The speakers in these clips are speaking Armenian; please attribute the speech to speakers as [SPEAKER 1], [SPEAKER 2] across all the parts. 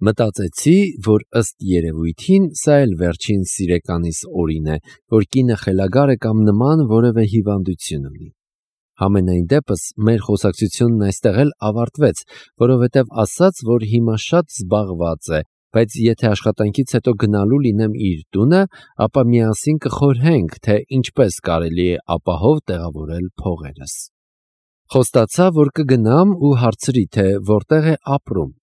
[SPEAKER 1] Մտածեցի, որ ըստ երևույթին սա էլ վերջին սիրեկանիս օրին է, որ կինը խելագար է կամ նման որևէ հիվանդություն ունի։ Համենայն դեպս մեր խոսակցությունն այստեղ էլ ավարտվեց, որովհետև ասաց, որ հիմա շատ զբաղված է, բայց եթե աշխատանքից հետո գնալու լինեմ իր տունը, ապա միասին կխորհենք, թե ինչպես կարելի է ապահով տեղավորել փողերս։ Խոստացա, որ կգնամ ու հարցրի, թե որտեղ է ապրում։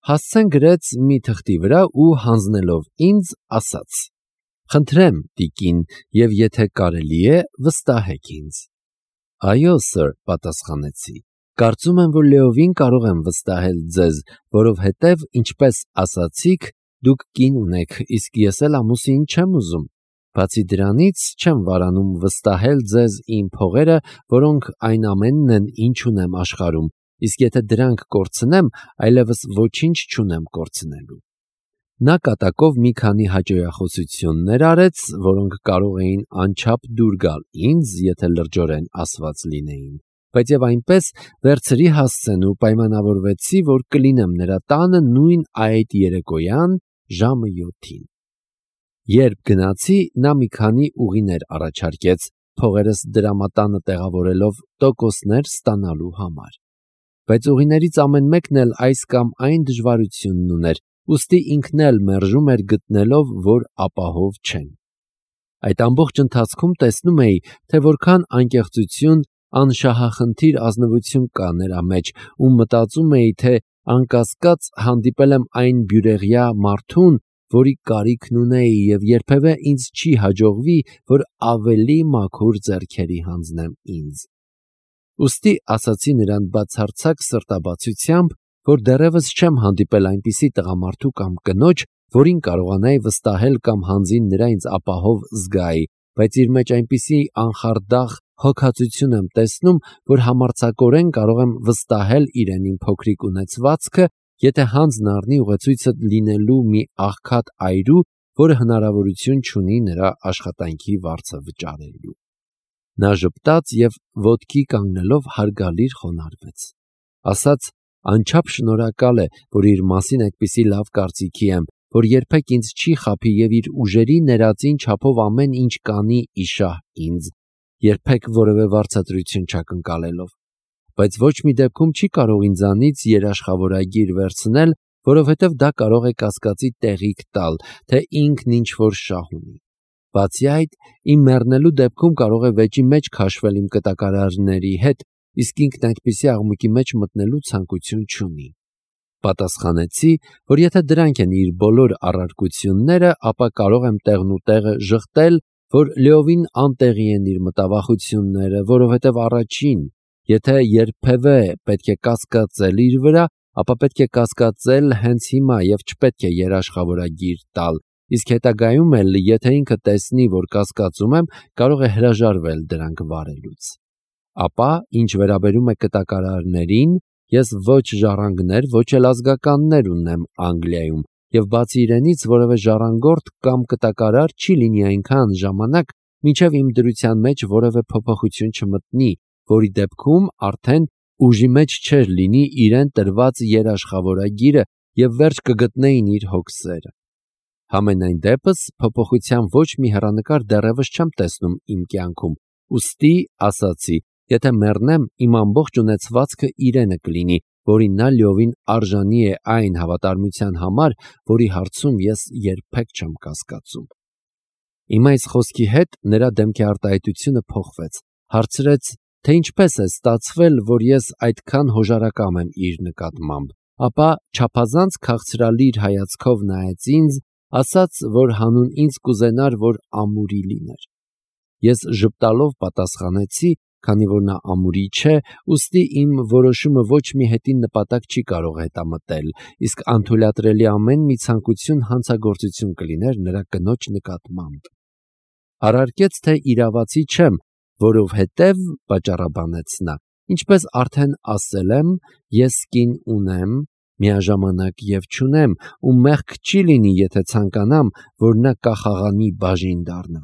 [SPEAKER 1] Հասցեն գրեց մի թղթի վրա ու հանձնելով ինձ ասաց. «Խնդրեմ, տիկին, եւ եթե կարելի է, վստահեք ինձ»։ «Այո, սըր», պատասխանեցի։ «Կարծում եմ, որ լիովին կարող եմ վստահել ձեզ, որովհետև, ինչպես ասացիք, դուք կին ունեք, իսկ ես էլ ամուսին չեմ ուզում։ Բացի դրանից, չեմ վարանում վստահել ձեզ իմ փողերը, որոնք այն ամենն են, ինչ ունեմ աշխարհում, իսկ եթե դրանք կորցնեմ, այլևս ոչինչ չունեմ կորցնելու»։ Նա կատակով մի քանի հաճոյախոսություններ արեց, որոնք կարող էին անչափ դուր գալ ինձ, եթե լրջորեն ասված լինեին, բայց եւ այնպես վերցրի հասցեն ու պայմանավորվեցի, որ կլինեմ նրա տանը նույն այդ երեկոյան ժամը 7-ին։ Երբ գնացի, նա մի քանի ուղիներ առաջարկեց, փողերս դրամատանը տեղավորելով տոկոսներ ստանալու համար։ Բայց ուղիներից ամեն մեկն էլ այս կամ այն դժվարությունն ուներ, ուստի ինքն էլ մերժում էր գտնելով, որ ապահով չեն։ Այդ ամբողջ ընթացքում տեսնում էի, թե որքան անկեղծություն, անշահախնդիր ազնվություն կա նրա մեջ, ու մտածում էի, թե անկասկած հանդիպել եմ այն բյուրեղյա մարդուն, որի կարիքն ունեի, եւ երբևէ ինձ չի հաջողվի, որ ավելի մաքուր ձեռքերի հանձնեմ ինձ։ Ուստի ասացի նրան բացարձակ սրտաբացությամբ, որ դեռևս չեմ հանդիպել այնպիսի տղամարդու կամ կնոջ, որին կարողանայի վստահել կամ հանձին նրա ինձ ապահով զգայի, բայց իր մեջ այնպիսի անխարդախ հոգածություն եմ տեսնում, որ համարձակորեն կարող եմ վստահել իրեն իմ փոքրիկ ունեցվածքը, եթե հանձն առնի ուղեցույցը լինելու մի աղքատ այրու, որը հնարավորություն չունի նրա աշխատանքի վարձը վճարելու։ Նա ժպտաց և ոտքի կանգնելով հարգալիր խոնարհվեց։ Ասաց, անչափ շնորհակալ է, որ իր մասին այդպիսի լավ կարծիքի եմ, որ երբեք ինձ չի խաբի և իր ուժերի ներածին չափով ամեն ինչ կանի իշահ ինձ, երբեք որևէ վարձատրություն չակնկալելով, բայց ոչ մի դեպքում չի կարող ինձանից երաշխավորագիր վերցնել, որովհետև դա կարող է կասկածի տեղիք տալ, թե ինքն ինչ-որ շահ ունի։ Բացի այդ, իմ մեռնելու դեպքում կարող է վեճի մեջ քաշվել իմ կտակարարների հետ, իսկ ինքն այդպիսի աղմուկի մեջ մտնելու ցանկություն չունի։ Պատասխանեցի, որ եթե դրանք են իր բոլոր առարկությունները, ապա կարող եմ տեղնուտեղը ժխտել, որ լիովին անտեղի են իր մտավախությունները, որովհետև առաջին, եթե երբևէ պետք է կասկածել իր վրա, ապա պետք է կասկածել հենց հիմա և չպետք է երաշխավորագիր տալ, իսկ հետագայում էլ, եթե ինքը տեսնի, որ կասկածում եմ, կարող է հրաժարվել դրանք վարելուց։ Ապա, ինչ վերաբերում է կտակարարներին, ես ոչ ժառանգներ, ոչ էլ ազգականներ ունեմ Անգլիայում, և բացի իրենից որևէ ժառանգորդ կամ կտակարար չի լինի այնքան ժամանակ, մինչև իմ դրության մեջ որևէ փոփոխություն չմտնի, որի դեպքում արդեն ուժի մեջ չէր լինի իրեն տրված երաշխավորագիրը և վերջ կգտնեին իր հոգսերը։ Համենայն դեպս, փոփոխության ոչ մի հեռանկար դեռևս չեմ տեսնում իմ կյանքում, ուստի ասացի, եթե մեռնեմ, իմ ամբողջ ունեցվածքը իրենը կլինի, որին նա լիովին արժանի է այն հավատարմության համար, որի հարցում ես երբեք չեմ կասկածում։ Իմ այս խոսքի հետ նրա դեմքի արտահայտությունը փոխվեց, հարցրեց, թե ինչպես է ստացվել, որ ես այդքան հոժարակամ եմ իր նկատմամբ, ապա չափազանց քաղցրալիր հայացքով նայեց ինձ, ասաց, որ հանուն ինձ կուզենար, որ ամուրի լիներ։ Ես ժպտալով պատասխանեցի, քանի որ նա ամուրի չէ, ուստի իմ որոշումը ոչ մի հետին նպատակ չի կարող հետամտել, իսկ անթույլատրելի ամեն մի ցանկություն հանցագործություն կլիներ նրա կնոջ նկատմամբ։ Հարարկեց, թե իրավացի չեմ, որովհետև, պատճառաբանեց նա, ինչպես արդեն ասել եմ, ես կին ունեմ, միաժամանակ և չունեմ, ու մեղք չի լինի, եթե ցանկանամ, որ նա կախաղանի բաժին դառնա։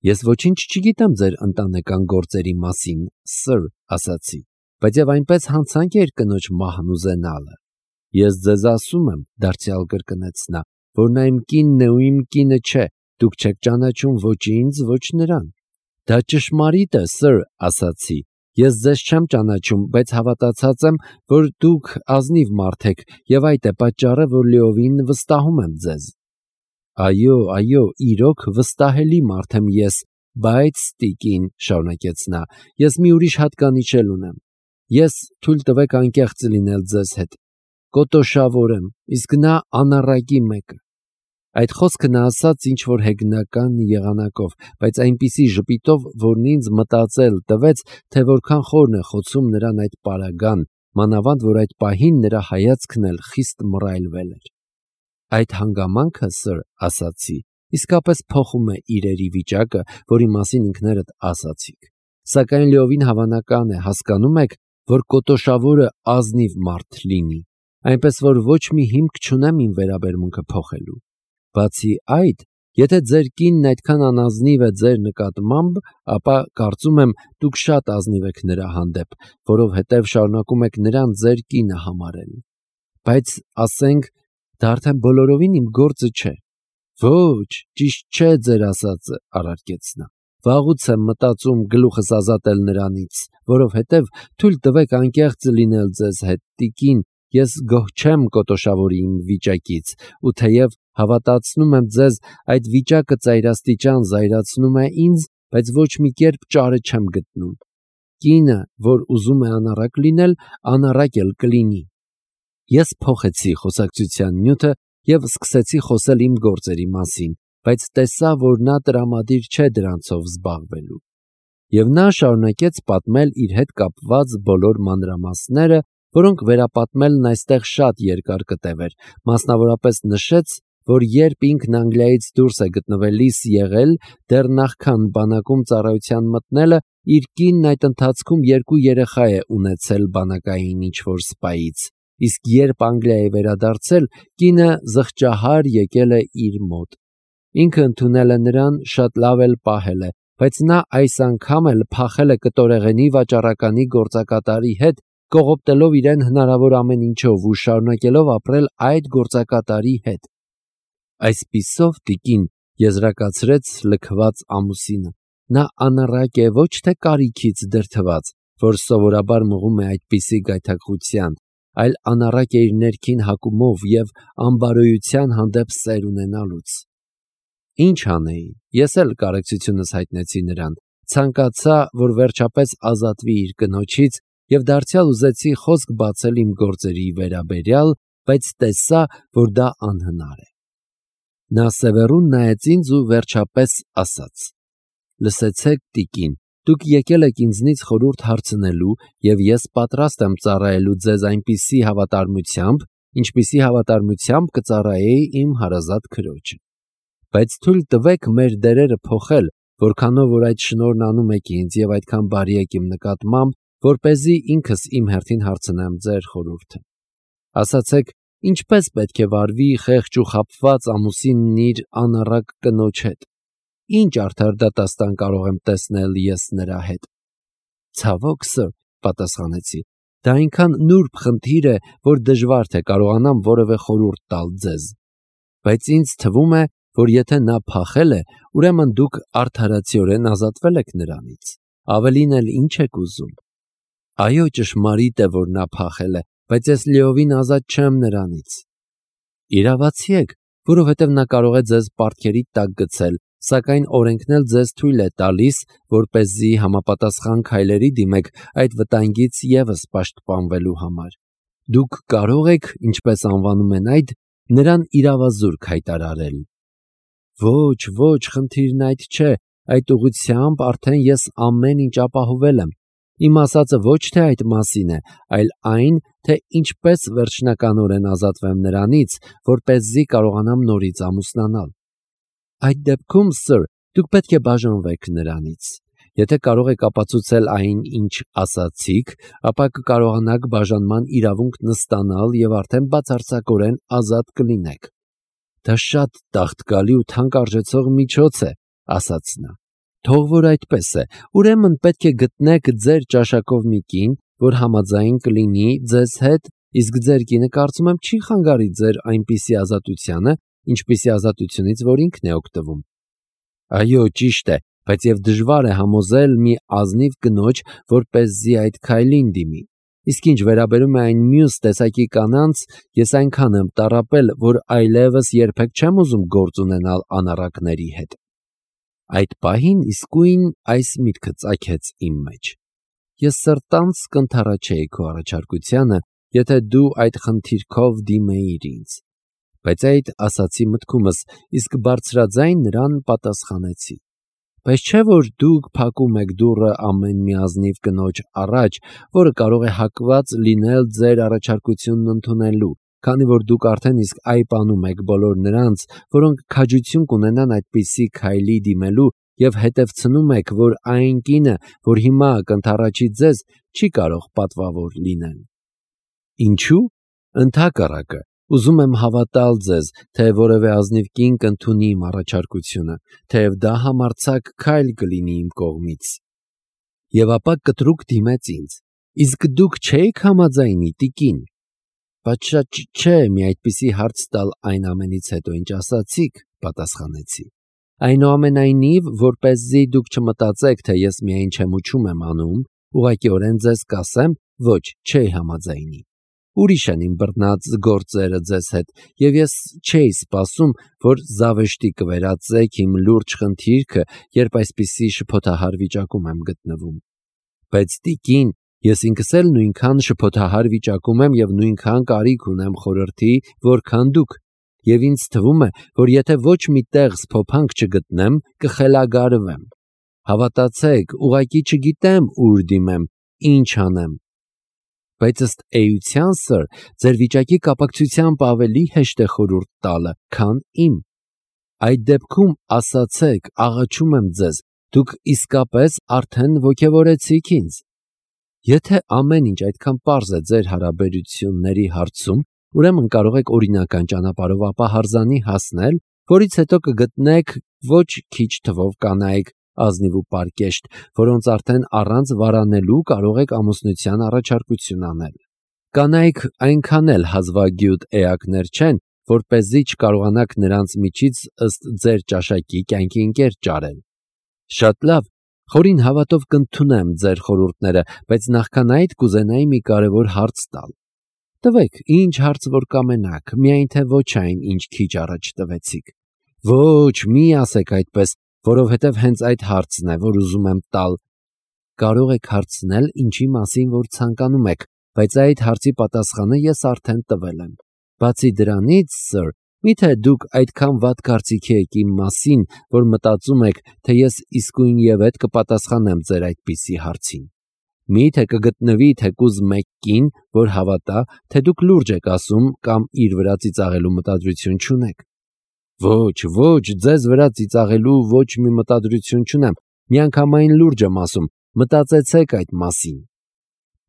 [SPEAKER 1] Ես ոչինչ չգիտեմ ձեր ընտանեկան գործերի մասին, սըր, ասացի, բայց և այնպես հանցանք է իր կնոջ մահն ուզենալը։ Ես ձեզ ասում եմ, դարձյալ կրկնեց նա, որ նա իմ կինն է ու իմ կինը չէ, դուք չեք ճանաչում ոչ ինձ, ոչ նրան։ Դա ճշմարիտ է, սըր, ասացի, ես ձեզ չեմ ճանաչում, բայց հավատացած եմ, որ դուք ազնիվ մարդ եք, և այդ է պատճառը, որ լիովին վստահում եմ ձեզ։ Այո, իրոք վստահելի մարդ եմ ես, բայց տիկին, շարունակեց նա, ես մի ուրիշ հատկանիշ էլ ունեմ։ Ես թույլ տվեք անկեղծ լինել ձեզ հետ, կոտոշավոր եմ, իսկ նա անառակի մեկը։ Այդ խոսքը նա ասաց ինչ-որ հեգնական եղանակով, բայց այնպիսի ժպիտով, որն ինձ մտածել տվեց, թե որքան խորն է խոցում նրան այդ պարագան, մանավանդ որ այդ պահին նրա հայացքն էլ խիստ մռայլվել էր։ Այդ հանգամանքը, սըր, ասացի, իսկապես փոխում է իրերի վիճակը, որի մասին ինքներդ ասացիք։ Սակայն լիովին հավանական է, հասկանում եք, որ կոտոշավորը ազնիվ մարդ լինի, այնպես որ ոչ մի հիմք չունեմ իմ վերաբերմունքը փոխելու։ Բացի այդ, եթե ձեր կինն այդքան անազնիվ է ձեր նկատմամբ, ապա կարծում եմ դուք շատ ազնիվ եք նրա հանդեպ, որովհետև շարունակում եք նրան ձեր կինը համարել։ Բայց ասենք, դա արդեն բոլորովին իմ գործը չէ։ Ոչ, ճիշտ չէ ձեր ասածը, առարկեց նա։ Վաղուց եմ մտածում գլուխս ազատել նրանից, որովհետև թույլ տվեք անկեղծ լինել ձեզ հետ, տիկին, ես գոհ չեմ կոտոշավորի իմ վիճակից, ու թեև հավատացնում եմ ձեզ, այդ վիճակը ծայրաստիճան զայրացնում է ինձ, բայց ոչ մի կերպ ճարը չեմ գտնում։ Կինը, որ ուզում է անառակ լինել, անառակ էլ կլինի։ Ես փոխեցի խոսակցության նյութը և սկսեցի խոսել իմ գործերի մասին, բայց տեսա, որ նա տրամադիր չէ դրանցով զբաղվելու։ Եվ նա շարունակեց պատմել իր հետ կապված բոլոր մանրամասները, որոնք վերապատմելն այստեղ շատ երկար կտևեր, մասնավորապես նշեց, որ երբ ինքն Անգլիայից դուրս է գտնվելիս եղել, դեռ նախքան բանակում ծառայության մտնելը, իր կինն այդ ընթացքում 2 երեխա է ունեցել բանակային ինչ-որ սպայից, իսկ երբ Անգլիա է վերադարձել, կինը զղջահար եկել է իր մոտ։ Ինքը ընդունել է նրան, շատ լավ էլ պահել է, բայց նա այս անգամ էլ փախել է կտորեղենի վաճառականի գործակատարի հետ, կողոպտելով իրեն հնարավոր ամեն ինչով ու շարունակելով ապրել այդ գործակատարի հետ։ Այսպիսով, տիկին, եզրակացրեց լքված ամուսինը, նա անառակ է ոչ թե կարիքից դրդված, որ սովորաբար մղում է այդպիսի գայթակղության, այլ անառակ է իր ներքին հակումով և անբարոյության հանդեպ սեր ունենալուց։ Ինչ անեի, ես էլ կարեկցությունս հայտնեցի նրան, ցանկացա, որ վերջապես ազատվի իր կնոջից և դարձյալ ուզեցի խոսք բացել իմ գործերի վերաբերյալ, բայց տեսա, որ դա անհնար է։ Նա սևեռուն նայեց ինձ ու վերջապես ասաց. «Լսեցեք, տիկին, դուք եկել եք ինձնից խորհուրդ հարցնելու, և ես պատրաստ եմ ծառայելու ձեզ այնպիսի հավատարմությամբ, ինչպիսի հավատարմությամբ կծառայեի իմ հարազատ քրոջը։ Բայց թույլ տվեք մեր դերերը փոխել, որքանով որ այդ շնորհն անում եք ինձ և այդքան բարի եք իմ նկատմամբ, որպեսզի ինքս իմ հերթին հարցնեմ ձեր խորհուրդը։ Ասացեք, ինչպես պետք է վարվի խեղճ ու խաբված ամուսինն իր անառակ կնոջ հետ։ Ինչ արդար դատաստան կարող եմ տեսնել ես նրա հետ։ Ցավոք, սըր, պատասխանեցի, դա այնքան նուրբ խնդիր է, որ դժվար թե կարողանամ որևէ խորհուրդ տալ ձեզ։ Բայց ինձ թվում է, որ եթե նա փախել է, ուրեմն դուք արդարացիորեն ազատվել եք նրանից։ Ավելին էլ ինչ եք ուզում։ Այո, ճշմարիտ է, որ նա փախել է, բայց ես լիովին ազատ չեմ նրանից։ Իրավացի եք, որովհետև նա կարող է ձեզ պարտքերի տակ գցել, սակայն օրենքն էլ ձեզ թույլ է տալիս, որպեսզի համապատասխան քայլերի դիմեք այդ վտանգից ևս պաշտպանվելու համար։ Դուք կարող եք, ինչպես անվանում են այդ, նրան իրավազուրկ հայտարարել։ Ոչ, խնդիրն այդ չէ, այդ ուղղությամբ արդեն ես ամեն ինչ ապահովել եմ։ Իմ ասածը ոչ թե այդ մասին է, այլ այն, թե ինչպես վերջնականորեն ազատվեմ նրանից, որպեսզի կարողանամ նորից ամուսնանալ։ Այդ դեպքում, սըր, դուք պետք է բաժանվեք նրանից։ Եթե կարող եք ապացուցել այն, ինչ ասացիք, ապա կկարողանաք բաժանման իրավունքն ստանալ և արդեն բացարձակորեն ազատ կլինեք։ Դա շատ տաղտկալի ու թանկարժեցող միջոց է, ասաց նա։ Թող որ այդպես է, ուրեմն պետք է գտնեք ձեր ճաշակով մի կին, որ համաձայն կլինի ձեզ հետ իսկ ձեր կինը կարծում եմ չի խանգարի ձեր այնպիսի ազատությանը, ինչպիսի ազատությունից, որ ինքն է օգտվում։ Այո, ճիշտ է, բայց եւ դժվար է համոզել մի ազնիվ կնոջ, որպեսզի այդ քայլին դիմի։ Իսկ ինչ վերաբերում է այն մյուս տեսակի կանանց, ես այնքան եմ տառապել, որ այլևս երբեք չեմ ուզում գործ ունենալ անառակների հետ։ Այդ պահին իսկույն այս միտքը ծագեց իմ մեջ. ես սրտանց կընդառաջեի քո առաջարկությանը, եթե դու այդ խնդիրքով դիմեիր ինձ։ Բայց այդ ասացի մտքումս, իսկ բարձրաձայն նրան պատասխանեցի. բայց չէ՞ որ դուք փակում եք դուռը ամեն մի ազնիվ կնոջ առաջ, որը կարող է հակված լինել ձեր առաջարկությունն ընդունելու, քանի որ դուք արդեն իսկ այպանում եք բոլոր նրանց, որոնք քաջություն կունենան այդպիսի քայլի դիմելու, եւ հետևցնում եք, որ այն կինը, որ հիմա կընդառաջի ձեզ, չի կարող պատվավոր լինել։ Ինչու՞։ Ընդհակառակը, ուզում եմ հավատալ ձեզ, թե որևէ ազնիվ կին կընդունի իմ առաջարկությունը, թեև դա համարձակ քայլ կլինի իմ կողմից։ Եվ ապա կտրուկ դիմեց ինձ. իսկ դուք չէիք համաձայնի, տիկին։ Պատշաճ չէ մի այդպիսի հարց տալ այն ամենից հետո, ինչ ասացիք, պատասխանեցի։ Այնուամենայնիվ, որպեսզի դուք չմտածեք, թե ես միայն չեմուչում եմ անում, ուղղակիորեն ձեզ կասեմ, ոչ, չէի համաձայնի։ Ուրիշ են իմ բռնած գործերը ձեզ հետ, եւ ես չէի սպասում, որ զավեշտի կվերածեք իմ լուրջ խնդիրքը, երբ այսպիսի շփոթահար վիճակում եմ գտնվում։ Բայց տիկին, ես ինքս էլ նույնքան շփոթահար վիճակում եմ եւ նույնքան կարիք ունեմ խորհրդի, որքան դուք, եւ ինձ թվում է, որ եթե ոչ մի տեղ սփոփանք չգտնեմ, կխելագարվեմ։ Հավատացեք, ուղղակի չգիտեմ ուր դիմեմ, ինչ անեմ։ Բայց ըստ էության, սըր, ձեր վիճակի կապակցությամբ ավելի հեշտ է խորհուրդ տալը, քան իմ։ Այդ դեպքում ասացեք, աղաչում եմ ձեզ, դուք իսկապես արդեն ոգևորեցիք ինձ։ Եթե ամեն ինչ այդքան պարզ է ձեր հարաբերությունների հարցում, ուրեմն կարող եք օրինական ճանապարհով ապահարզանի հասնել, որից հետո կգտնեք ոչ քիչ թվով կանայք, ազնիվ ու պարկեշտ, որոնց արդեն առանց վարանելու կարող եք ամուսնության առաջարկություն անել։ Կանայք այնքան էլ հազվագյուտ էակներ չեն, որպեսզի չկարողանաք նրանց միջից ըստ ձեր ճաշակի կյանքի ընկեր ճարել։ Շատ լավ, խորին հավատով կընդունեմ ձեր խորհուրդները, բայց նախքան այդ կուզենայի մի կարևոր հարց տալ։ Տվեք, ինչ հարց որ կամենաք, միայն թե ոչ այն, ինչ քիչ առաջ տվեցիք։ Ոչ, մի ասեք այդպես, որովհետև հենց այդ հարցն է, որ ուզում եմ տալ։ Կարող եք հարցնել, ինչի մասին որ ցանկանում եք, բայց այդ հարցի պատասխանը ես արդեն տվել եմ։ Բացի դրանից, սըր, միթե դուք այդքան վատ կարծիքի եք իմ մասին, որ մտածում եք, թե ես իսկույնևեթ կպատասխանեմ ձեր այդպիսի հարցին։ Միթե կգտնվի թեկուզ մեկ կին, որ հավատա, թե դուք լուրջ եք ասում կամ իր վրա ծիծաղելու մտադրություն չունեք։ Ոչ, ոչ, ձեզ վրա ծիծաղելու ոչ մի մտադրություն չունեմ, միանգամայն լուրջ եմ ասում, մտածեցեք այդ մասին։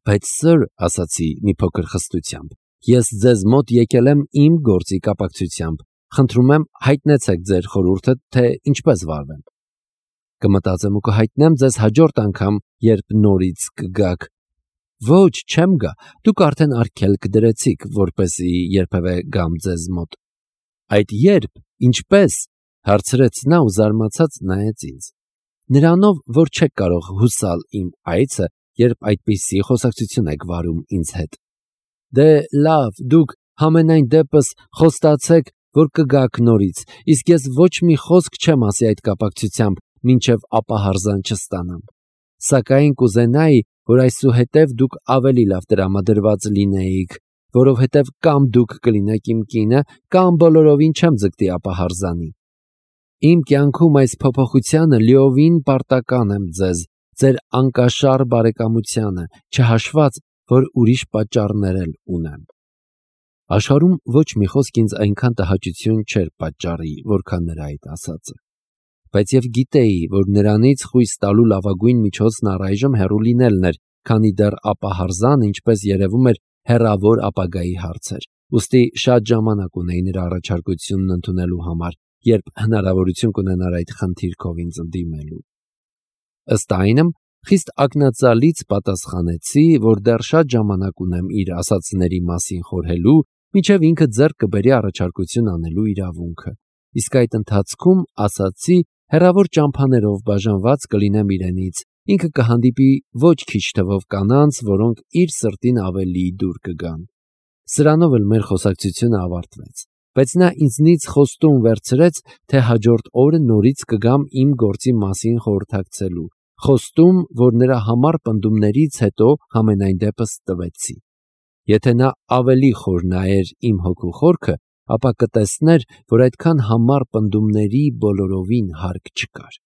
[SPEAKER 1] Բայց սըր, ասացի մի փոքր խստությամբ, ես ձեզ մոտ եկել եմ իմ գործի կապակցությամբ, խնդրում եմ հայտնեցեք ձեր խորհուրդը, թե ինչպես վարվեմ։ Կմտածեմ ու կհայտնեմ ձեզ հաջորդ անգամ, երբ նորից կգաք։ Ոչ, չեմ գա, դուք արդեն արգելք դրեցիք, որպեսզի երբևէ գամ ձեզ մոտ։ Այդ երբ, ինչպես, հարցրեց նա ու զարմացած նայեց ինձ։ Նրանով, որ չեք կարող հուսալ իմ այցը, երբ այդպիսի խոսակցություն եք վարում ինձ հետ։ Դե լավ, դուք համենայն դեպս խոստացեք, որ կգաք նորից, իսկ ես ոչ մի խոսք չեմ ասի այդ կապակցությամբ, մինչև ապահարզան չստանամ։ Սակայն կուզենայի, որ այսուհետև դուք ավելի լավ տրամադրված լինեիք, որովհետև կամ դուք կլինեք իմ կինը, կամ բոլորովին չեմ ձգտի ապահարզանի։ Իմ կյանքում այս փոփոխությանը լիովին պարտական եմ ձեզ, ձեր անկաշառ բարեկամությանը, չհաշված, որ ուրիշ պատճառներ էլ ունեմ։ Աշխարհում ոչ մի խոսք ինձ այնքան տհաճություն չէր պատճառի, որքան նրա այդ ասածը։ Բայց եւ գիտեի, որ նրանից խույս տալու լավագույն միջոցն առայժմ հեռու լինելն էր, քանի դեռ ապահարզան, ինչպես երևում էր, հեռավոր ապագայի հարց էր։ Ուստի շատ ժամանակ ունեի նրա առաջարկությունն ընդունելու համար, երբ հնարավորություն կունենար այդ խնդիրքով ինձ ընդդիմելու։ Ըստ այնմ, Խիստ ակնածալից պատասխանեցի, որ դեռ շատ ժամանակ ունեմ իր ասածների մասին խորհելու, մինչև ինքը ձեռք կբերի առաջարկություն անելու իրավունքը։ Իսկ այդ ընթացքում, ասացի, հեռավոր ճամփաներով բաժանված կլինեմ իրենից, ինքը կհանդիպի ոչ քիչ թվով կանանց, որոնք իր սրտին ավելի դուր կգան։ Սրանով էլ մեր խոսակցությունը ավարտվեց, բայց նա ինձնից խոստում վերցրեց, թե հաջորդ օրը նորից կգամ իմ գործի մասին խորհրդակցելու, խոստում, որ նրա համառ պնդումներից հետո համենայն դեպս տվեցի։ Եթե նա ավելի խոր նայեր իմ հոգու խորքը, ապա կտեսներ, որ այդքան համառ պնդումների բոլորովին հարկ չկար։